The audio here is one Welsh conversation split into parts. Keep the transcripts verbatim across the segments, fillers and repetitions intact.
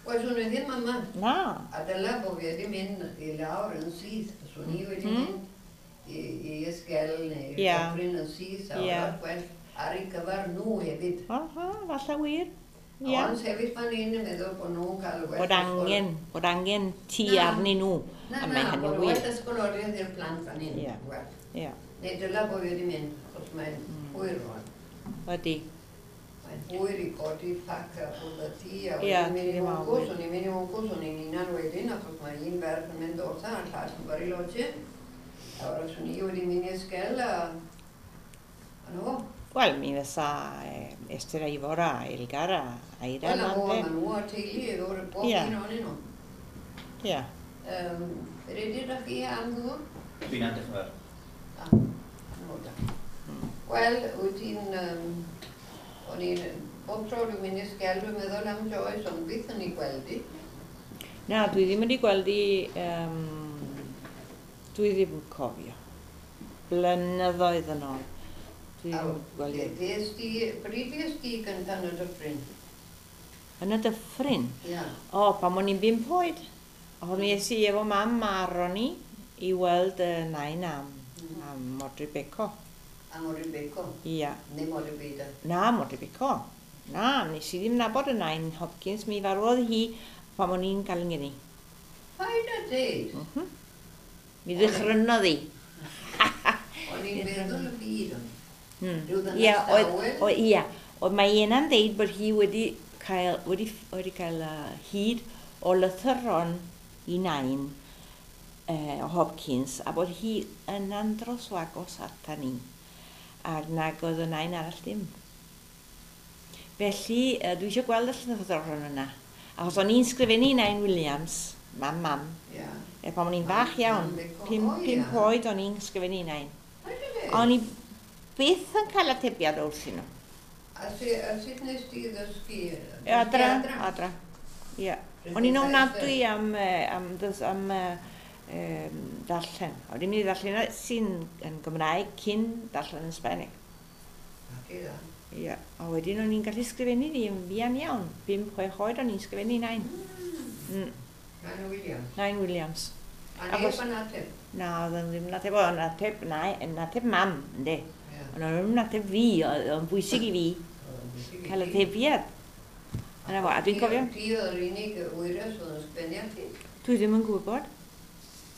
Wel, swn i ddim yma. Na. A dyla bod fi wedi mynd i lawr yn syth. Swn i wedi Mm. mynd i, i Ysgel neu Ie. Dyffryn yn syth. A Ie. yeah. Well ar ei gyfer nhw hefyd. Aha, falle wir. Ie. Ond sefyll fan hyn yn meddwl bod nhw'n cael well Bod angen, bod angen ti Na. arnyn nhw. Na, A mae na, hynny'n bod wir. well ysgoloriaeth i'r plant fan hyn. Ie. Well. Ie, Neu dyla bod fi wedi mynd, achos mae'n Mm. hwyr rwan. ydy. Mae'n hwyr i godi pac a ffwrdd â ti, a Ie, wedyn mynd i ti ddim Hwngws, awyr. o'n i'n mynd i Hwngws, o'n i'n unan wedyn, achos mae un ferch yn mynd wrtha, a'r llall yn Bariloche. A wrach o'n i wedi mynd i Ysgel, a... A no. Wel, mi fysa eh, Esther a Ifor a Elgar a Aira Wel, a yma, fo, ynde? ma nhw a teulu, efo'r bob Ie. un ohonyn nhw. Ie. Um, Ready ydych chi am ddŵr? Dwi'n edrych yn fawr. Ah, no da. Wel, wyt ti'n... Um, o'n i'n... Bob tro dwi'n mynd i Ysgel, dwi'n meddwl am Joyce, ond byth yn ei gweld i. Na, dwi ddim wedi gweld i... Um, dwi ddim yn cofio. Blynyddoedd yn ôl. Dwi A ddim yn gweld i. Fues di... Pryd fues di gyntaf yn y dyffryn? Yn y dyffryn. Ia. O, pan o'n i'n bump oed. O, mi es i efo mam a Ronnie i weld y nain am, Mm. am Modry Beco. A Modry Beco. Ia. Neu Modry Beda. Na, Modry Beco. Na, nes i ddim nabod y nain Hopkins. Mi farwodd hi pan o'n i'n cael yng ngeni. Paid a deud. Mm -hmm. Mi ddychrynodd hi. O'n i'n meddwl y byd o'n. Hmm. Rhyw ddynes Ia, oedd, dawel. oedd, ia, oedd mae Iena'n deud bod hi wedi cael, wedi, wedi cael uh, hyd o lythyron i nain uh, Hopkins a bod hi yn andros o agos ata ni ac nag oedd y nain arall ddim. Felly, uh, dwi eisiau gweld y llythyron yna. Achos o'n i'n sgrifennu i Nain Williams, mam mam, Ia. e pan o'n i'n fach iawn, Mam Beco. pum, O, ia. pump oed o'n i'n sgrifennu i nain. Paid a deud. O'n i byth yn cael atebiad wrthyn nhw. A su- a sut nes di ddysgu? Ie, Adra, adra. Ie. O'n i'n ofnadwy am, eh, am, dys- am eh, em, darllen. O'n i'n mynd i ddarllen sy'n yn Gymraeg cyn darllen yn Sbaeneg. Ie. A wedyn o'n i'n gallu sgrifennu ni yn fuan iawn. Bum, chwech oed o'n i'n sgrifennu nain. Mm. Nain Williams. Nain Williams. A Achos- neb yn ateb? Na, oedd o'n ddim yn ateb, oedd o'n ateb, na, yn ateb mam, ynddi. Ie. Ond o'n ddim yn ateb fi, oedd o'n bwysig i fi Oedd o'n bwysig i cael ti. atebiad. Yna fo, a dwi'n Ti- cofio, Ti oedd yr unig wyres oedd yn sgwennu ati? Dwi ddim yn gwybod.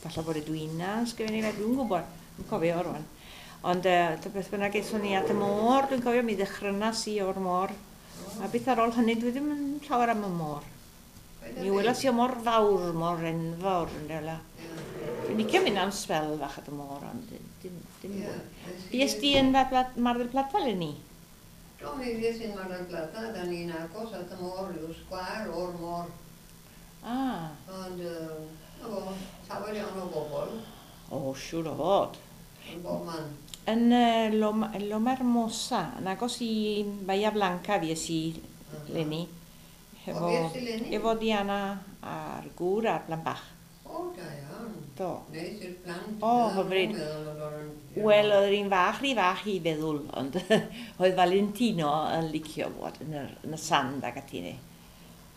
Falle bod y Dwina yn sgrifennu fe, dwi'n gwybod. Dwi'n cofio o rwan. Ond uh, beth bynnag aethon ni at y môr, dwi'n cofio mi ddechrynas i o'r môr. A beth ar ôl hynny, dwi ddim yn llawer am y môr. Mi welas i o mor fawr, mor enfawr yn dela. Dwi'n licio mynd am sbel fach at y môr, ond dim, dim, dim mwy. Fues di yn Mar Pla- Mar del Plata eleni? Do, mi fues i'n Mar del Plata, da ni'n agos at y môr, rhyw sgwâr o'r môr. Ah, Ond, yy, na fo, llawer iawn o bobl o, siŵr o fod. yn bob man. Yn uh, Loma, Loma Hermosa, yn agos i Bahia Blanca fues i leni. O, fues di leni? Efo Diana a'r gŵr a'r plant bach. O, da iawn. Do. Neis i'r plant. O, hyfryd. Meddwl oedd o'n- Wel, oedd yr un fach rhy fach i feddwl, ond oedd Valentino yn licio bod yn y, yn y sand ac ati ni.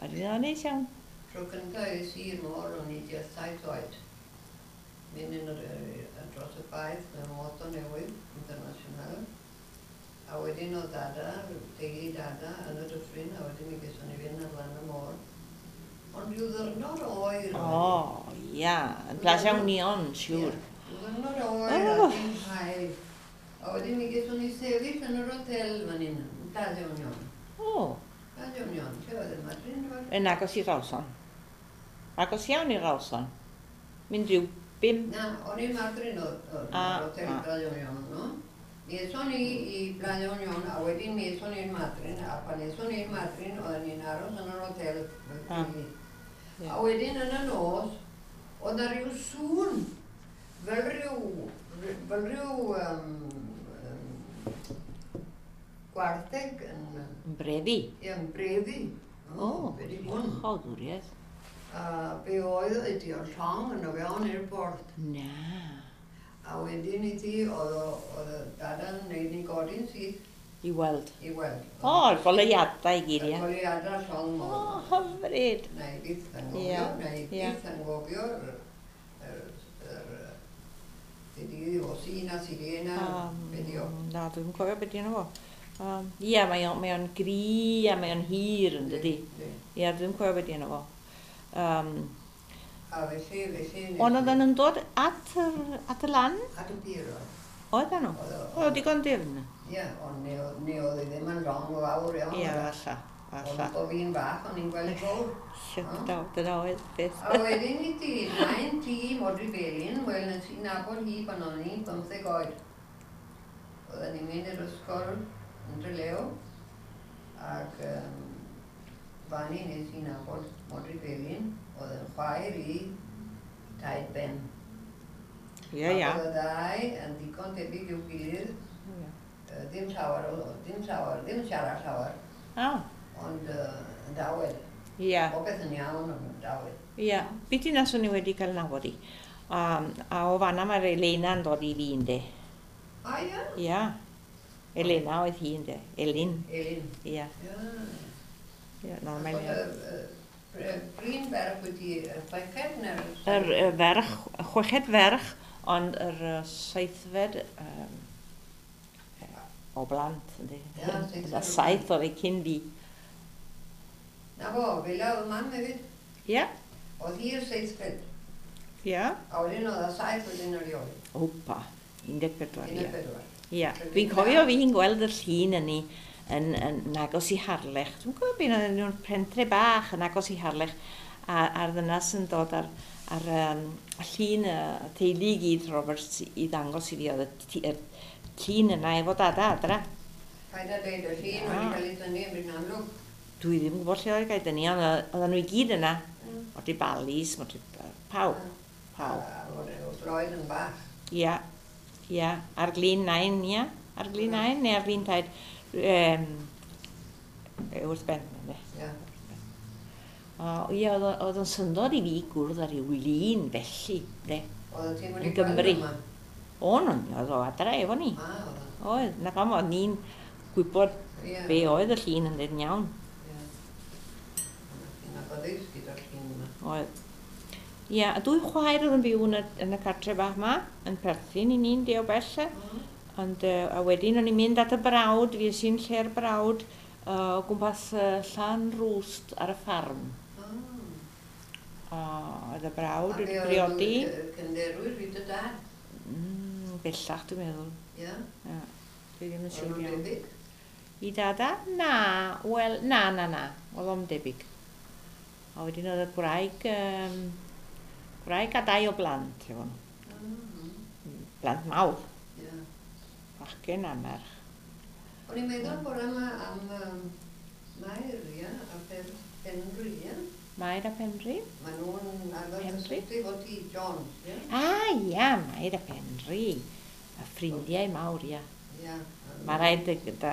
A dwi'n meddwl, neis iawn. Tro cyntaf es i i'r môr, o'n i tua saith oed. Mynd yn yr, yy, dros y baedd mewn moto newydd, international. A wedyn oedd dada, teulu dada, yn y dyffryn, a wedyn mi geson ni fynd ar lan y môr. Ond rhyw ddyrnod oer oedd hi. O, ia, yn Plaza Union, siŵr. Ie, Rhyw ddyrnod oer Oh. a dim haul. A wedyn mi geson ni sefyll yn yr hotel fan hyn, yn Plaza Union. O, Plaza Union, lle oedd y Madrid? oedd? yn agos i Rawson. Agos iawn i Rawson. Mynd rhyw bum. Na, o'n i'n Madrid oedd oedd Ah, yr hotel ah. Plaza Union, no? Mi eson ni i Plaza Union, a wedyn mi eson ni'n Madrid, a pan eson ni'n Madrid, oedden ni'n aros yn yr hotel. Ah. Ie. A wedyn yn y nos, oedd na rhyw sŵn, fel rhyw, fel rhyw um, um, gwartheg yn, Yn brefi. ie, yn brefi. O, be di hwn? Chawdwriaeth. A be oedd ydi o'r llong yn o fewn i'r porth. Na. A wedyn i ti, oedd o- oedd y dada'n neud ni godi'n syth. I weld. I weld. O, y goleuadau i gyd, Y ie. goleuadau llong O, môr. hyfryd. Na i byth anghofio, Ie, na i ie. byth anghofio yr, yr, yr, be di o Sina, Sirena, Um, be di o. Na, dwi'n cofio beth di enw fo. Um, Ie, mae o'n, mae o'n gry a mae o'n hir yn dydi. Yndi. Ie, dwi'n cofio beth di enw fo. Um, A felly, felly... nes ond i- oedden nhw'n dod at, yr, at y lan? At y pier oedd. Oedden nhw? Oedd o- Oedd o digon dyfn? Ie, ond ne oedd ne oedd e ddim yn llong fawr iawn. Ie, oedd e? falla, falla. Ond o fi'n bach, o'n i'n gweld fawr. Dyna dyna oedd beth. A wedyn i ti, nain ti, Modry Belin, wel, nes i nabod hi pan o'n i'n bymtheg oed. Oedden ni'n mynd i'r ysgol yn Trelew, ac um, fan i nes i nabod Modry Belin, oedd yn chwaer i Taid Ben. Ie, ia. Ac oedd y ddau yn ddigon tebyg i'w gilydd, Ie. yy, ddim llawer, o- ddim llawer, ddim siarad llawer, O, ond uh, yn dawel. ie. Popeth yn iawn, ond yn dawel. Ie. Beth i nas o'n i wedi cael nabod i. Um, a o fanna mae'r Elena'n dod i fi, ynddi. A ia? Ia. Elena oedd hi, ynddi. Elin. Elin. Ia. Ia. Ia, normal. Achos, yy, yy, Prin ferch wedi y chweched neu'r... Yr y ferch, y chweched ferch, ond yr yy, seithfed um, o blant, ynddi. Ie, seithfed Y o saith oedd ei cyn fi. Na fo, fel oedd mam hefyd. Ia. Oedd hi y seithfed. Ia. A wedyn oedd y saith wedyn erioed. Opa, un deg pedwar, Un ia. deg pedwar. Ia, dwi'n cofio fi'n gweld y llun yn yn, yn, yn agos i Harlech. Dwi'n cofio beth oedd nhw'n pentre bach yn agos i Harlech a, a'r ddynas yn dod ar, ar um, llun y teulu i gyd Roberts i ddangos i fi oedd y, t- y llun yna efo dada adra. Paid â deud y llun Ia. wedi cael ei tynnu yn bryd amlwg. Dwi ddim yn gwybod lle oedd gael dynnu, ond oedd- oedden nhw i gyd yna. Mm. Modry Balis, modry pawb, pawb. A oedd oedd Floyd yn bach. Ia, ia, ar glin nain, ia, ar glin nain neu ar glin taid. Um, wrth ben, ynddi. Ia. O, ie, oedd o- oedd o'n syndod i fi gwrdd ar ryw lun felly, de. Oedd ti'n wedi Yn Gymru. gweld yma? O'n, o'n, oedd o adra efo ni. A, oedd o. Oedd, na pam o'n ni'n gwybod Ie. be oedd y llun yn dweud yn iawn. Ie. Ti'n agoddus gyda'r llun yma. Oedd. Ia, a dwy chwaer oedd yn byw yn y, yn y cartre bach ma, yn perthyn i ni'n de o bell. e. Ond, uh, a wedyn o'n i'n mynd at y brawd, fi i'n lle'r brawd, uh, o gwmpas uh, Llanrwst ar y ffarm. Ah. A oedd y brawd A wedi be oedd briodi. nhw, yy, Cynderwyr fi dy dad. Mm, bellach dwi'n meddwl. Ie. Ia, dwi ddim yn Oedd siŵr nhw'n iawn. debyg. I dada? Na, wel, na, na, na. Oedd o'm debyg. A wedyn oedd y gwraig, um, gwraig a dau o blant efo nhw. Ah, Blant mawr, Ie. bachgen a merch. O'n i'n meddwl bore yma am um, Mair, ie, a Pen- Penri, ie. Mair a Penri? Maen nhw'n arfer Penri? cysylltu fo ti, John, ie? Ah, ia, Mair a Penri. A ffrindiau mawr, ia. Ie. Mae rhaid dy- da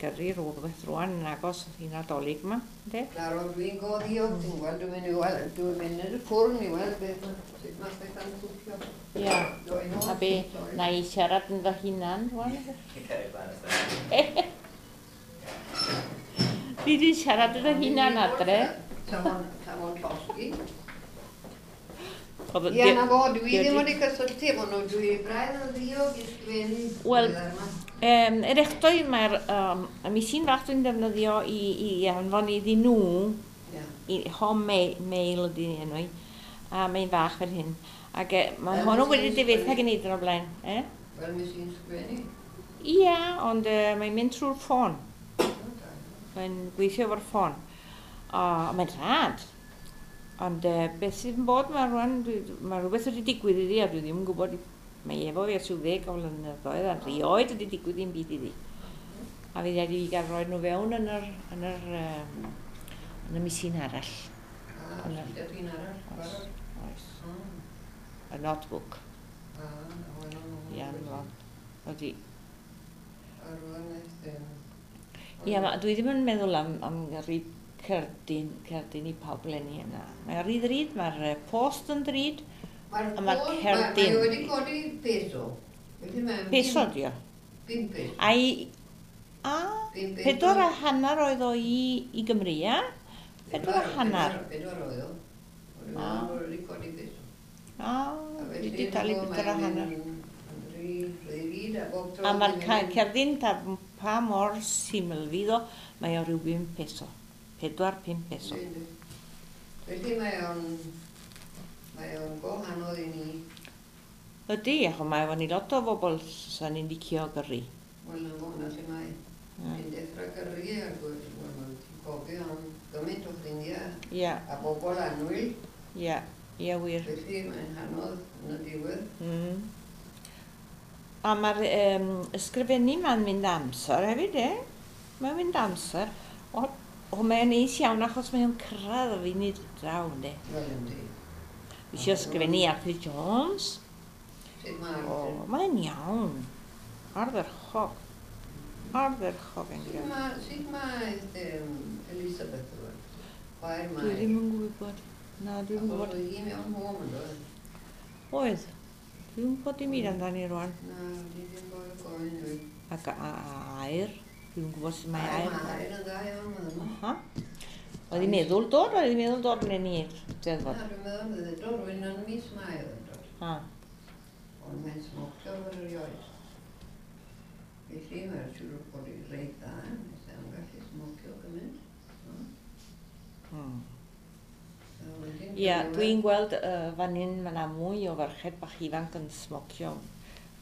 gyrru rhywbeth rwan yn agos i Nadolig yma, ynddi? Claro, dwi'n go ddiog, ti'n gweld, dwi'n mynd i weld, dwi'n mynd i'r ffwrn i weld beth, ma- sut mae pethau'n cwcio. Ia. Doi nôl, A be, sori. na i siarad yn fy hunan rwan? Chi'n cario blaen ystod. Dwi wedi siarad yn fy hunan adre. Sa fo'n sa fo'n llosgi. Oedd- Ie, na fo, dwi Dio- ddim wedi cysylltu efo nhw, dwi braidd yn ddiog i sgwennu. Wel, diweddar yma. Um, er echdoi mae'r um, y misin fach dwi'n defnyddio i, i anfon iddyn nhw, Ie. i home mail, mail ydy enw i, a mae'n fach fel hyn. Ac e, mae Fel hwnnw mis wedi i'n difetha sgwennu. gen i o'r blaen. Eh? Wel, mis i'n sgwennu. Ia, ond uh, mae'n mynd trwy'r ffôn. Mae'n gweithio efo'r ffôn. A mae'n rhad. Ond uh, beth sydd yn bod mae rwan, dwi- mae rhywbeth wedi digwydd iddi a dwi ddim yn gwybod, i- mae efo fi ers rhyw ddeg o flynyddoedd a rioed wedi digwydd ddim byd iddi. A fi wedi i gael rhoi nhw fewn yn yr, yn yr, um, yn y misin arall. A, Yna. gyda ti'n arall, Oes, barod? oes. Mm. Y notebook. A, wel, Ia, o, Ydy. A rwan eith, yym, Ia, ma, dwi ddim yn meddwl am, am gyrru cerdyn, cerdyn i pawb leni yna. Mae'n rhy ddrud, mae'r eh, post yn ddrud. Mae'r a ma'r ffôn- ma- cerdyn. Mae wedi codi peso. Felly mae'n Peso, dio. Bum peso. A i... A, pedwar a hanner oedd o i, i Gymru, ia? Pedwar a hanner. Pedwar oedd o. Ah. O'n i'n codi peso. A, dwi wedi talu pedwar a hanner. A A mae'r ca- cerdyn ta pa mor syml fydd o, mae o ryw bum peso. Pedwar, pum peso. Felly mae o'n... Mae o'n go anodd i ni. Ydy, achos mae efo ni lot o bobl sa'n ni'n licio gyrru. Wel, na fo, na lle mae. Mm. Ti'n dechrau gyrru ac wel, wel, ti'n cofio am gymaint o ffrindiau Ia, a bobl annwyl. ia, ia wir. Felly mae'n anodd yn y diwedd. Mm. A mae'r um, ysgrifennu ma'n mynd amser hefyd, e? Mae'n mynd amser. O, o mae'n neis iawn achos mae'n cyrraedd o funud draw, ynddi? Wel, yndi. Fi eisiau ysgrifennu Arthur Jones. Sut mae O, Arthur? mae'n iawn. Ardderchog. Ardderchog yn Sut gwybod. mae, sut mae um, Elizabeth rwan? Chwaer Dwi Mair. ddim yn gwybod. Na, dwi'n Achos gwybod. oedd hi mewn home yn doedd? Oedd. Dwi'n gwybod dim byd amdani rwan. Na, di ddim bod gofyn dwi. Ac a, a, air. Dwi'n gwybod sut mae Air, air. Mae air yn dda iawn, maen nhw. Aha. Oedd hi'n meddwl dod, oedd hi'n meddwl dod yn i'r Steddfod. Na, dwi'n meddwl oedd e'n dod, rwy'n yn mis Mai oedd yn dod. Ah. Ond mae'n smocio fel erioed. Felly mae'n siŵr bod hi'n reit dda, nes e'n gallu smocio gymaint. No? Hmm. So, wedyn Ia, dwi'n dwi'n gweld uh, fan hyn mae yna mwy o ferched bach ifanc yn smocio.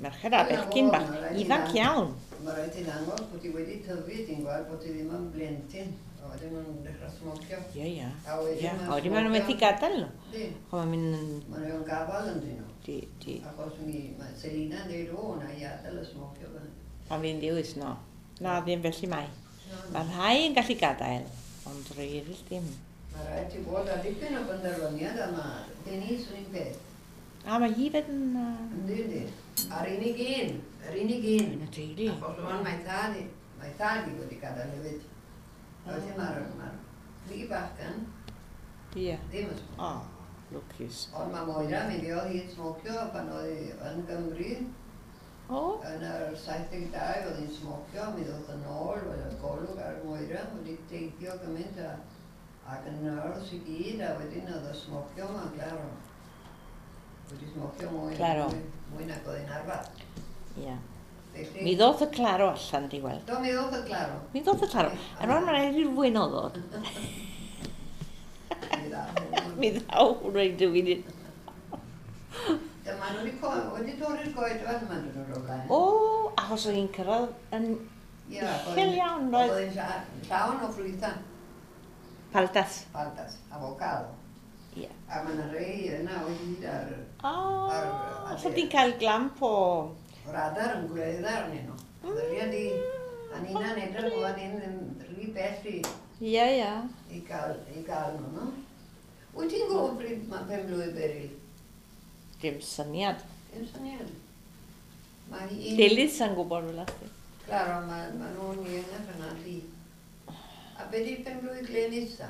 Merched a Ie, bechgyn o, bach, ma' raid i ifanc ddang- iawn. Mae rhaid i ddangos bod hi wedi tyfu, ti'n gweld bod hi ddim yn blentyn. A wedyn maen nhw'n dechrau smocio. Ie, ie. A wedyn Ie, ma'n a wedyn maen nhw'n methu smocio. gadael nhw. Yndi. Chos mae'n mynd yn... Maen nhw'n gafal ynddyn nhw. Di, di. Achos mi, mae Selina yn dweud, o, na i adael y smocio fan. Pan fi'n dewis, no. Na, ddim felly mae. Na, na. Mae rhai yn gallu gadael, ond rhai eraill ddim. Mae rhaid ti bod â dipyn o benderfyniad a mae Denise yn un peth. A mae hi fed yn... Uh, Yndi, yndi. A'r unig un, yr unig un. yn y teulu. Achos rwan mae thad i, mae thad i wedi gadael hefyd. A Felly mae'r mae'r pli bachgen Ie. ddim yn smocio. O, lwcus. Ond mae Moira, mi fuodd hi'n smocio pan oedd hi yn Gymru. O, Yn yr saith deg dau oedd hi'n smocio, mi ddoth yn ôl, oedd y golwg ar Moira, wedi teithio gymaint a, ac yn nyrs i gyd, a wedyn oedd y smocio yma, claro. Wedi smocio mwy, Claro. mwy, mwy nag oedd hi'n arfer. ie. Felly, Mi ddoth y claro allan, di weld. Do, mi ddoth y claro. Mi ddoth y claro. A rwan mae'n rhaid i'r wyn o ddod. Mi ddaw hwnnw. Mi ddaw hwnnw i dyw'n un. Dyma nhw wedi co- wedi torri'r goed fan yma dyn nhw'n o'r blaen. O, achos oedd hi'n cyrraedd yn Ie, ac oedd uchel hi'n- iawn, roedd Oedd hi'n lla- llawn o ffrwythau, paltas. paltas, avocado. Ie. A mae yna rei yna o hyd ar O, Ar- so ti'n cael glamp o... radar yn gwledda arnyn nhw. Ddylia di, a ni'n edrych bod ni'n ddim rhy bell i, Ie, ie. i gael, i gael nhw, no? Wyt ti'n gwybod pryd mae pen blwydd Beryl? Dim syniad. Dim syniad. Mae hi... Dilys yn gwybod fel ati. Claro, mae ma nhw'n iengach yna ti. A be di pen blwydd Glenys ta?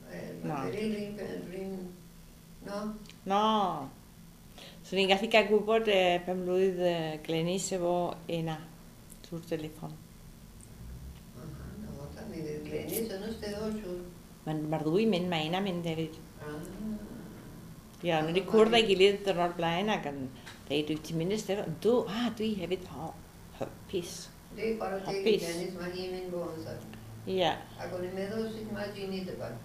Wel, Na. Mae Beryl un pen, run... No? No. So ni'n gallu cael gwybod eh, pen blwydd eh, Glenys efo Ena trwy'r telefon. Aha, na fo ta, mi fydd Glenys yn y steddfod siŵr. Mae'r ma ddwy mynd, mae Ena mynd hefyd. Ah. Ie, yeah, nhw wedi cwrdd â'i gilydd dyrnod blaen ac yn dweud, dwi ti'n mynd i'r steddfod? Yndw, a dwi hefyd, o, hapus. Di, chwarae teg i Hapus. Glenys, mae hi'n mynd bo amser. Ie. Yeah. Ac o'n i'n meddwl sut mae Jeannie dyfan.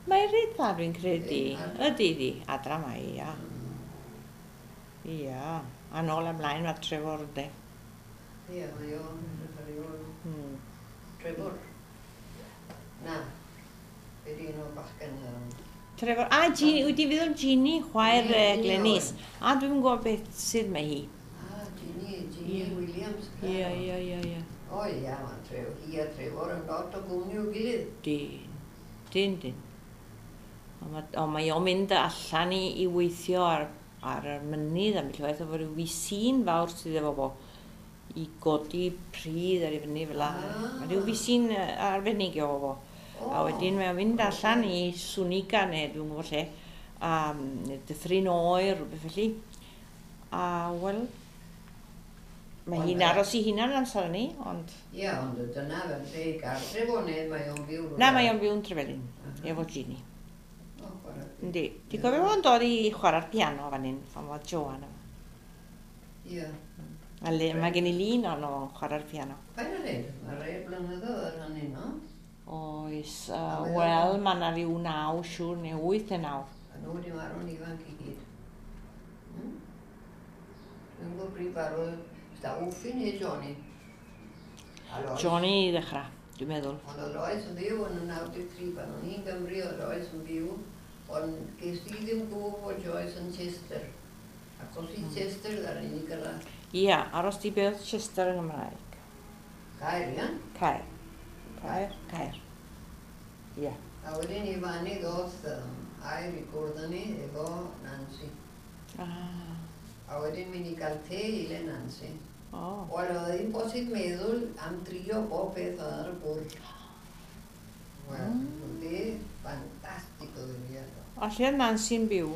Mae'n reit dda dwi'n credu. Ydi, adra. Ydy di, adra mae, ia. Ia. A nôl ymlaen mae Trevor ynddi. Ie, mae o'n edrych ar ei ôl. Hmm. Trevor. Na. Be di un o'r bachgen yym, Trevor, a Jeannie, wyt ti'n feddwl Jeannie, chwaer Ie, uh, Jeannie Glenys. A dwi'n gwybod beth sydd mae hi. Ah, Jeannie, Jeannie Ie. Williams. Ie, ie, ie, ie. O ia, mae Trevor, hi a Trevor yn lot o gwmni i'w gilydd. Dyn, dyn, dyn. Ond ma- ond mae o'n mynd allan i, i weithio ar, ar y mynydd am waith efo rhyw fisîn fawr sydd efo fo i godi pridd ar ei fyny fel la. Ah. Mae rhyw fisîn yy, arbennig efo fo. O, A wedyn mae o'n mynd allan i Swniga neu dwi'n gwybod lle, a mm, neu Dyffryn Oer, rhywbeth felly. A wel, Mae hi'n aros i hunan amser hynny, ond... Ie, ond dyna fel lle i gartref o neu mae o'n byw... Na, mae o'n byw yn Trefelin, efo Ginny. O, chwarae. Yndi. Ti'n cofio fo'n dod i chwarae'r piano fan hyn, pan oedd Joan yma? Ie. A le, mae gen i lun ono fo'n chwarae'r piano. Pa'n yr hyn? Mae rhai blynyddoedd ar hynny, no? Oes, uh, wel, mae yna rhyw naw, siŵr, neu wyth neu naw. A nhw wedi marw'n ifanc i gyd. Hmm? Dwi'n gwybod pryd farw, da Wffi neu Johnny. A Lois. Johnny i ddechrau, dwi'n meddwl. Ond oedd Lois yn byw yn y naw deg tri pan o'n i'n Gymru, oedd Lois yn byw, ond ges i ddim gwybod bod Joyce yn Chester. Ac os i Chester ddar ni gyrraedd. Ia, aros di beth Chester yn Gymraeg. Caer, ia? Caer. Caer, Caer. Ia. A wedyn i fanny ddoth um, air i gwrdd â ni efo Nancy. Ah. A wedyn mynd i gael te i le Nancy. O. Wel, oedd ddim bosib meddwl am drio bob peth oedd ar y bwrdd. Wel, mm. Oedd e ffantastig oedd hi. A lle oedd Nancy'n byw?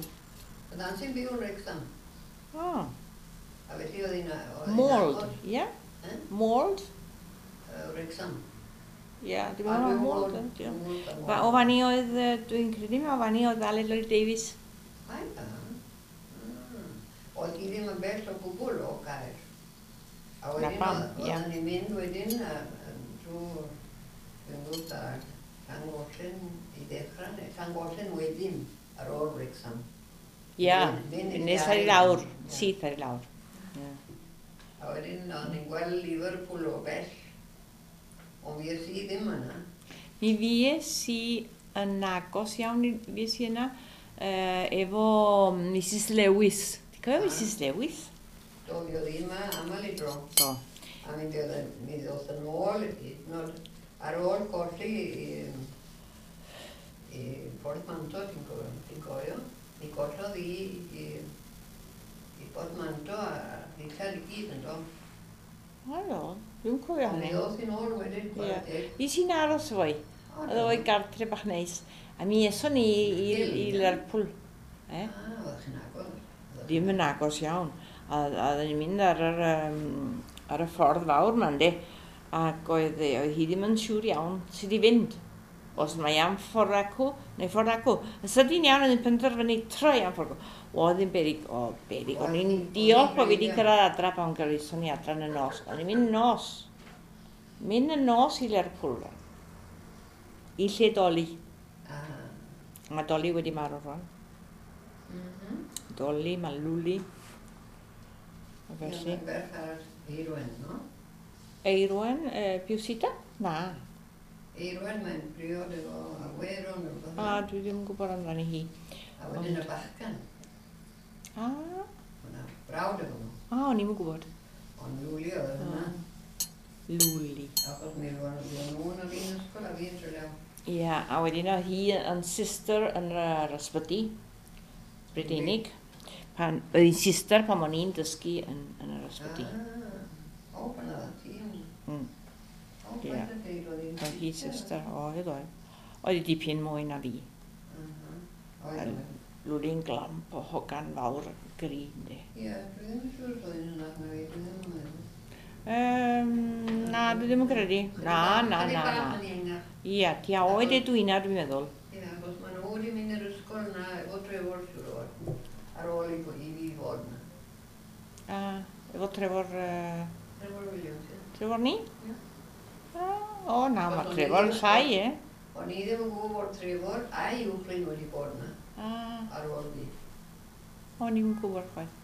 Oedd Nancy'n byw yn Wrexham. O. A felly oedd hi'n... Mold, ie? Eh? Mold? Uh, Wrexham. Ie, dwi'n meddwl Mold. O fanny oedd, dwi'n credu, o fanny oedd Aled Lloyd Davies. Ai da. Oedd hi ddim yn bell o gwbl o Gaer. A wedyn oedden ni'n mynd wedyn drwy, dwi'n gwybod, ar Llangollen i ddechrau, neu Llangollen wedyn ar ôl Wrexham. Ia, nes ar i lawr, syth ar i lawr. A wedyn o'n i'n gweld Liverpool o bell, ond fues i ddim yna. Mi fues i yn agos iawn, fues i yna, efo Missus Lewis. Ti'n cofio Missus Lewis? Do, fi oedd hi yma aml i dro. Do. A mi ddoth yn ôl, ar ôl colli i, i Portmanto, ti'n cofio, cofio? Mi gollodd hi i, i Portmanto a ddillad i gyd yn do. O do, dwi'n cofio hynny. Mi ddoth hi'n ôl wedyn, chwarae teg. Fi sy'n aros efo hi. Oedd o'i gartre bach neis. A mi eson ni i, i Lerpwl. Eh? Ah, oeddech chi'n agos. Ddim yn agos iawn. A oedden ni'n mynd ar, yr, um, ar y ffordd fawr ma, yndi. Ac oedd, oedd hi ddim yn siŵr iawn sut i fynd. Os mae am ffordd acw, neu ffordd acw. Yn sydyn iawn oedd hi'n penderfynu troi am ffordd acw. Oedd hi'n berig, o berig. O'n i'n diolch bod fi wedi cyrraedd adra pan gyrraeddon ni adra yn y nos. O'n i'n mynd nos. Mynd y nos i Lerpwl. I lle Doli. Mae Doli wedi marw rwan. Doli, mae Lwli. A felly. Ie, mae'n ferch ar Eirwen, no? Eirwen, e, Piwsita? Na. Eirwen, mae'n briod efo Aweron. A, dwi ddim yn gwybod amdani hi. A wedyn y bachgan. A. Hwna, brawd efo nhw. A, o'n i'm yn gwybod. Ond Lwli oedd hwnna. Lwli. Achos mi roedd nhw yn yr un ysgol a fi yn Trelew. Ie, a wedyn oedd hi yn sister yn yr ysbyty Brydeinig. Pan, oedd hi'n sister pan o'n i'n dysgu yn, yn yr ysbyty. Ah, o, pan oedd ti yn... Mm. O, pa'n dweud oedd hi'n Oedd hi sister, oedd oedd. Oedd hi dipyn mwy na fi. Oedd. Lwli'n glamp o hogan fawr gri, yndi. Ie, dwi ddim yn siŵr oedd hi'n hynach na fi, dwi ddim yn meddwl. Um, na, dwi ddim yn credu. Na, na, na, na. Ie, ti a oed Edwina, dwi'n meddwl. Ie, achos maen nhw wedi mynd i'r ysgol na efo Trevor, siŵr o fod. Ar ôl i, i fi fod na. A, efo Trevor... Uh, Trevor Williams, ie. Trevor ni? Ie. O, na, mae Trevor yn llai, e. O'n i ddim yn gwybod bod Trevor a'i uwchlyn wedi bod na. Ah. Ar ôl fi. O'n i'n gwybod chwaith.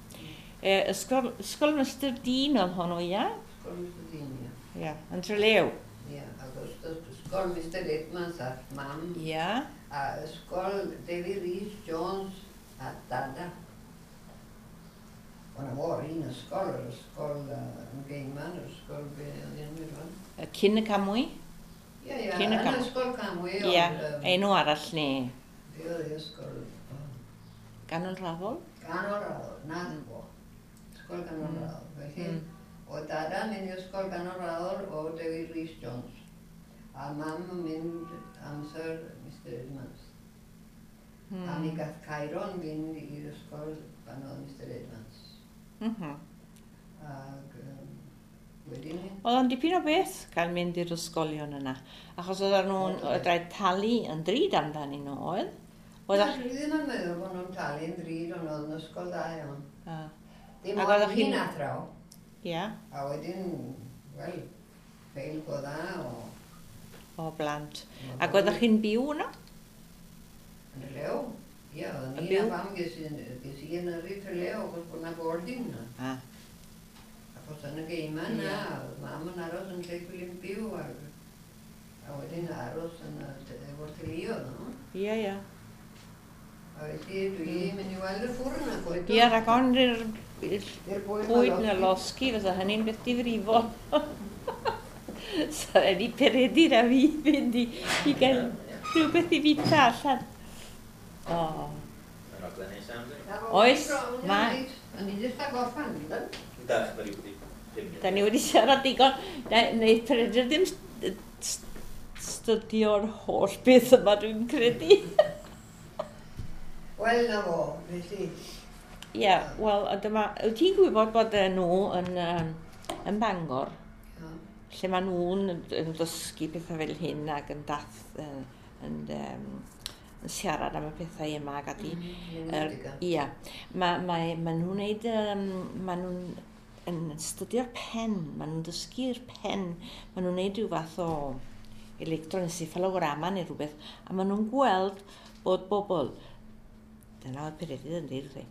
E, ysgol, ysgol Mister Dean oedd honno, ia? Ysgol Mister Dean, ia. Ia, yn Trelew. Ia, ac ysgol Mister Edmonds a mam. Ia. A ysgol David Rhys Jones a dada. O'n o'r un ysgol, yr ysgol yn Gaiman, yr ysgol be oedd hi'n mynd rwan. Cyn y Camwy? Ie, ie, yn ysgol Camwy. Ie, enw arall ne. Be oedd hi ysgol? Ganol Raddol? Ganol Raddol, na fo. Ysgol Ganol Raddol. Felly, oedd dada'n mynd i ysgol Ganol Raddol o David Rhys Jones. A mam yn mynd amser Mister Edmonds. A mi gath Cairon fynd i'r ysgol pan oedd Mister Edmonds. Mm-hmm. Ac um, Wedyn ni. Oedd o'n dipyn o beth cael mynd i'r ysgolion yna. Achos oedden nhw'n oedd rhaid talu yn drud amdanyn nhw, oedd? Oedd Na, dwi ddim yn meddwl bod nhw'n talu yn ddrud, ond oedd yn ysgol dda iawn. A, Dim Ac ond oeddech chi'n- un athraw, ia, a wedyn, wel, ffeil go dda o... o blant. Ac oeddech chi'n byw yno? Yn y lew. Ie, oedd Yn ni a byw? fam ges i ges i yn yrru Trelew, achos bod 'na boarding yna. A, Achos yn y Gaiman Ie. na, oedd mam yn aros yn lle dwi'n byw, ac, a wedyn aros yn y te- efo'r teuluoedd, no? ia, ia. A felly dwi'n mynd i weld y ffwrn ac oed Ia, rhag ofn i'r i'r I'r bwyd bwyd na losgi, fysa hynny'n beth difrifol. So, rhaid i Peredur a fi fynd i, i gael rhywbeth i fita allan. O, Mae'n raglen neis am, di? Oes, mae. O'n i jyst a gorffan, yndan? Dach, da ni wedi pum munud. Da ni wedi siarad digon. Na, Wneud Peredur ddim st- st- stydio'r holl beth yma dwi'n credu. Wel, na fo, felly. Ie, yeah, wel, a dyma, wyt ti'n gwybod bod yy, nhw yn, yym, yn Bangor, Ie. lle maen nhw'n yn dysgu pethau fel hyn ac yn dath, yn, yn, um, yn siarad am y pethau yma ac ati. Mm, Yr- Ia, mae ma, ma nhw'n neud, um, ma nhw'n yn stydio'r pen, ma nhw'n dysgu'r pen, ma nhw'n neud rhyw fath o electroencephalograma neu rhywbeth, a ma nhw'n gweld bod bobl, dyna oedd Peredur yn deud wrthi,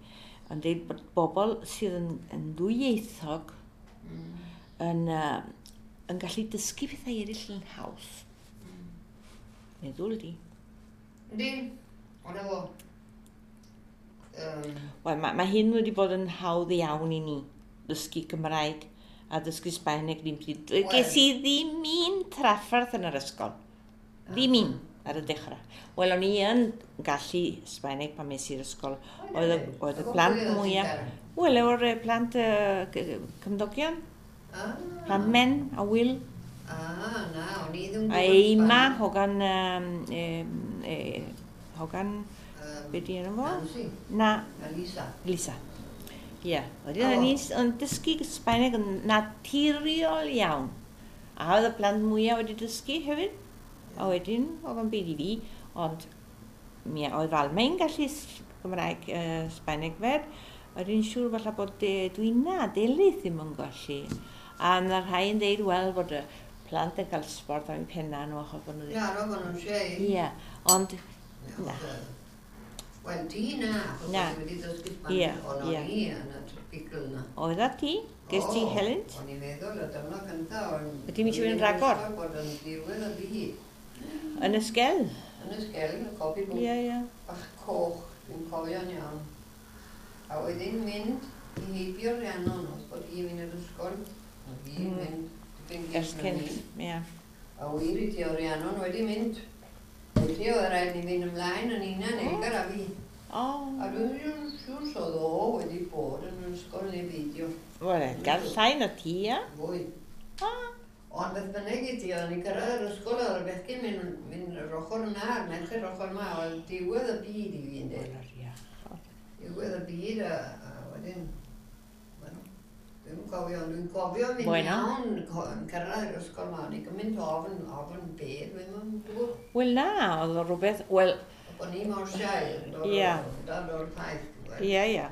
yn deud bod bobl sydd yn, yn ddwyieithog Mm. yn, uh, yn gallu dysgu pethau eraill yn haws. Meddwl di. Yndi, ond efo. Um, Wel, mae, mae hyn wedi bod yn hawdd iawn i ni, dysgu Cymraeg a dysgu Sbaeneg ddim pryd. Wel. Ges i ddim un trafferth yn yr ysgol. Ddim un ar y dechrau. Wel, o'n i yn gallu Sbaeneg pan mes i'r ysgol. Oedd y, oedd y plant mwyaf... Wel, efo'r eh, plant uh, cymdogion, Ah, plant Men a Will, Ah, na, o'n i ddim a Eima, hogan... Um, e, e, hogan, Um, be di enw fo? Nancy, Na, a Lisa. Lisa. Ie, yeah. Wedyn O. o'n i yn dysgu Sbaeneg yn naturiol iawn. A oedd y plant mwyaf wedi dysgu hefyd. A wedyn, oedd o'n byd i fi, ond mi oedd Almaen gallu s- Gymraeg uh, Sbaeneg fed. Wedyn siŵr falle bod de, Dwina, Delyth ddim yn gallu. A yna rhai yn deud, wel, bod y plant yn cael sbort am eu penna nhw achos bod nhw ddim. Ia, roedd nhw'n siei. Ie, ond Na. Wel, ti na, achos Na. o'n i wedi dysgu Ie, Sbaeneg, ond o'n ie. i yn y picl na. oedd a ti? Ges ti O, helynt? O'n i'n meddwl y diwrnod cyntaf o'n... Wyt ti'n mynd i fynd rhagor? Bod yn diwedd y byd. Yn y sgel? Yn y sgel, y copi Ie, bwc ie. bach coch, dwi'n cofio'n iawn. A wedyn mynd i heibio Rhiannon, os bod hi'n mynd i'r ysgol, oedd hi'n Mm. mynd dipyn Ers gynt na cynt, ni. ie. A wir i ti, o Rhiannon wedi mynd. Felly oedd rhaid ni fynd ymlaen yn unan, O. Edgar a fi. O. A dwi'n siŵr siŵr so o wedi bod yn yr ysgol neu beidio. Wel, gael llai na ti, ia? Fwy. Ah. Ond beth bynnag i ti, o'n i'n cyrraedd yr ysgol oedd y bechgyn mynd, mynd yr ochr yna a'r merched yr ochr yma, oedd diwedd y byd i fi, ynddi. Wel, ia. Diwedd y byd a, a wedyn, wel, dwi'n cofio, ond dwi'n cofio mynd Bueno. iawn co- yn cyrraedd yr ysgol yma, o'n i'n gymaint ofn, ofn be, dwi'n gwybod. Wel na, oedd o rhywbeth, wel, O'n i mor siai, yn dod Ie. o- dod o'r ffaith. ti'n gweld. ia, ia.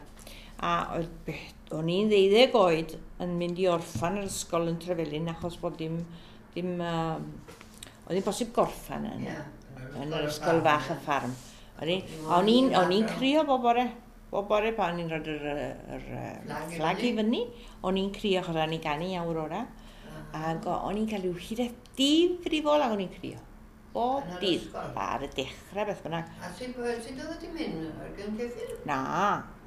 A oedd be- o'n i'n ddeuddeg oed yn mynd i orffan yr ysgol yn Trefelin achos bod dim, dim, uh, oedd ddim bosib gorffan yn, Ie, yn yr ysgol fach y ffarm. O'n i- Dim O'n i'n ond o'n i'n un crio bob bore, bob bore pan o'n i'n rhoi'r yr, yr, Flag i fflag i fyny. fyny, o'n i'n crio achos o'n i'n ganu Aurora. Ah. Ac o- o'n i'n cael rhyw hiraeth difrifol ac o'n i'n crio. Bob Yn yr dydd, ysgol? ar y dechrau beth bynnag. A sut sut oeddet ti'n mynd? Ar gyn ceffyl? Na,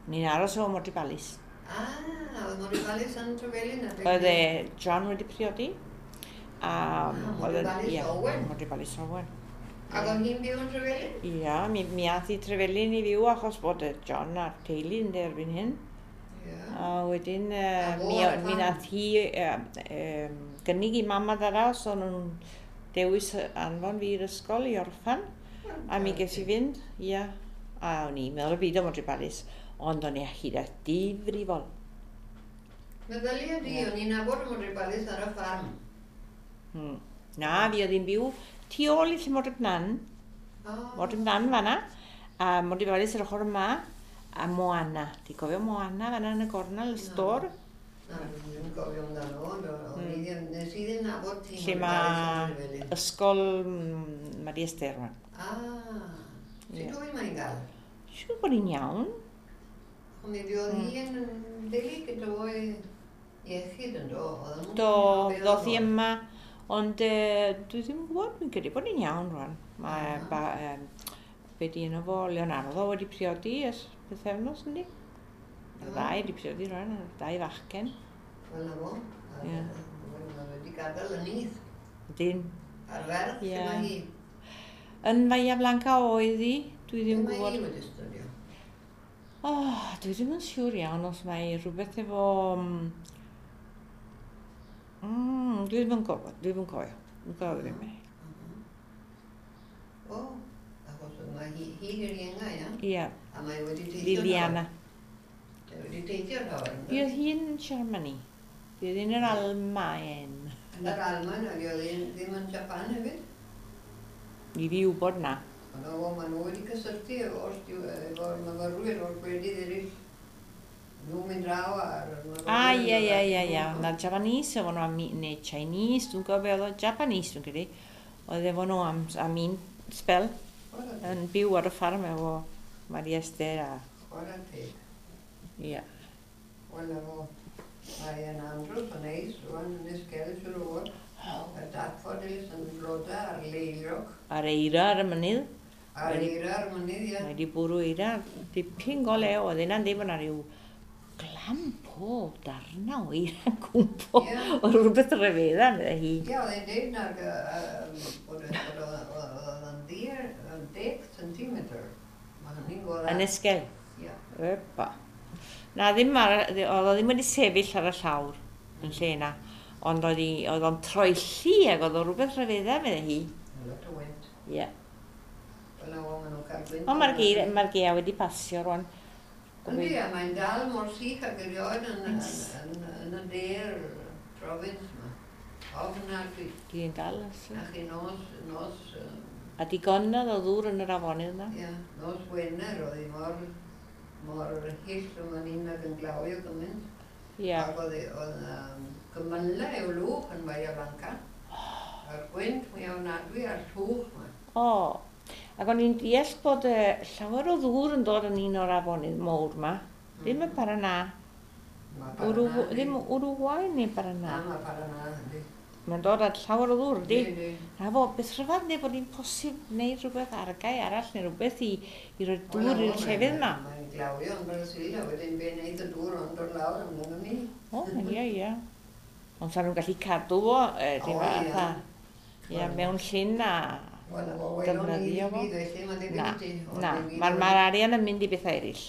ni'n aros efo Morty Ballis. Ah, oedd Mori Balis yn Trefelin? a Oedd e John wedi priodi. A Ah, oedd Morty Ballis ie, Owen. Morty Ballis Owen. Ac oedd hi'n byw yn Trefelin? Ia, mi, mi ath i Trefelin i fyw achos bod y John a'r teulu yn erbyn hyn. Ie. A wedyn uh, A fo mi, ar y mi ffarm? nath hi uh, um, gynnig i mam a dada os o'n nhw'n dewis anfon fi i'r ysgol i orffan. A mi ges i fynd, ia. A o'n i'n meddwl y byd o Monty Palace, ond o'n i a hiraeth difrifol. Meddylia di, o'n i'n nabod y Modryb Alice ar y ffarm. Hmm. Na, fi oedd hi'n byw tu ôl i lle Modryb Nan. Oh. Modryb Nan fan'na. A Modryb Alice yr ochr yma. A Moana. Ti'n cofio Moana fan'na yn y gornel, y stôr? Na, dwi'n ddim yn cofio amdano, ond o'n i ddim, nes i ddim nabod ti. Lle mae ysgol mm, Maria Esther rwan. Ah, Ie. sut wy'n mae'n gael? Siŵr bod hi'n iawn. Ond mi fuodd hi yn deulu gyda o'i iechyd yn do. Oedden nhw'n Do, cofio beth ddoth hi oedd o. yma, ond uh, dwi ddim yn gwybod, dwi'n credu bod hi'n iawn rwan. Mae, Ah. ba, um, be di enw fo, Leonardo wedi priodi ers pythefnos, yndi? Y Ah. ddau wedi priodi rwan, y ddau fachgen. Wel na fo. A- Ie. Wel, mae wedi gadael y nyth. Dyn. A'r ferch, Ie. lle mae hi? Yn Bahia Blanca oedd hi, dwi ddim yn Lle mae gwybod. hi wedi studio? Oh, dwi ddim yn siŵr iawn os mae rhywbeth efo... mm, Mm, dwi ddim yn gwybod, dwi ddim yn cofio. Dwi'n cofio ddim. O, achos mae hi, hi di'r ienga, ia? Ie, A mae wedi teithio Liliana. llawer. Mae wedi teithio llawer. yn Fi oedd hi'n Germany. Fi oedd hi'n yr Almaen. Yn yr Almaen, ac oedd hi ddim yn Japan hefyd. I fi wybod na. Ond o, maen nhw wedi cysylltu efo'r sti- efo'r myfyrwyr o'r gwledydd eraill. Nhw'n mynd draw a'r myfyrwyr. Ah, ie, ie, ie, ie. Na Japanese efo nhw am, neu Chinese, dwi'n gwybod beth oedd o, Japanese dwi'n credu. Oedd efo nhw am, am un spel Chwarae yn byw ar y ffarm efo Maria Esther a... Chwarae teg. Ie. Wel, efo, mae yn andros o neis rwan yn Esgel, siŵr o fod. Y daffodils yn floda a'r leiliog. A'r eira ar y mynydd. A'r Wedi- eira ar y mynydd, ie. Mae wedi bwrw eira, dipyn go lew, oedd hynna'n deud bod 'na ryw glamp o darna o eira'n cwmpo. Ie. Oedd rhywbeth rhyfedda, meddai hi. Ie, oedd e'n deud nag yy, yym, bod e- bod o- o- oedd yn ddiar yn deg centimetr. Mae hynny'n go dda. Yn Esgel. Ie. Epa. Na, ddim ar, oedd o ddim wedi sefyll ar y llawr yn lle yna. Ond oedd hi- oedd o'n troelli ac oedd o rhywbeth rhyfedda, meddai hi. Lot o wynt. Ie. Wel, na, maen nhw'n cael gwynt. Ond mae'r geir, mae'r gaea wedi pasio rwan. Yndi, a mae'n dal mor sych ag erioed yn, yn, yn, yn y de'r province yma. Ofnadwy. Di'n dal. os- A chi nos, nos, yym, A digonedd o ddŵr yn yr afonydd yna. ie, nos Wener oedd hi mor, mor hyll yma ni'n ag yn glawio gymaint. Ie. Ac oedd hi- oedd yym, gymylau o lwch yn Bahia Blanca. A'r gwynt mwy ofnadwy a'r llwch yma. O. Ac o'n i'n deall bod uh, llawer o ddŵr yn dod yn un o'r afonydd mowr yma. Ddim y Paraná. Ma' Urugu, Paraná, ddim Uruguay neu Na, Paraná. mae Paraná, yndi. Mae'n dod at llawer o ddŵr, yndi? Yndi. Na fo, beth rhyfedd neu bod hi'n posib wneud rhywbeth argau arall neu rhywbeth i, i roi dŵr i'r llefydd yma. Mae'n glawio yn Brasil a wedyn be wneud y dŵr ond dod lawr amdano ni. O, ie, ie. Ond sa'n nhw'n gallu cadw fo, e, O, rhyw fath ie. a... Ie, mewn llyn a Wel, o, welwn ni defnyddio ddim fo. byd felly, mae'n debyg Na, i ti. O, na. dim byd Mae'r o- ma arian yn mynd i bethau eraill.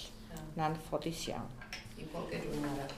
Na'n ffodus iawn. I poced hwn arall.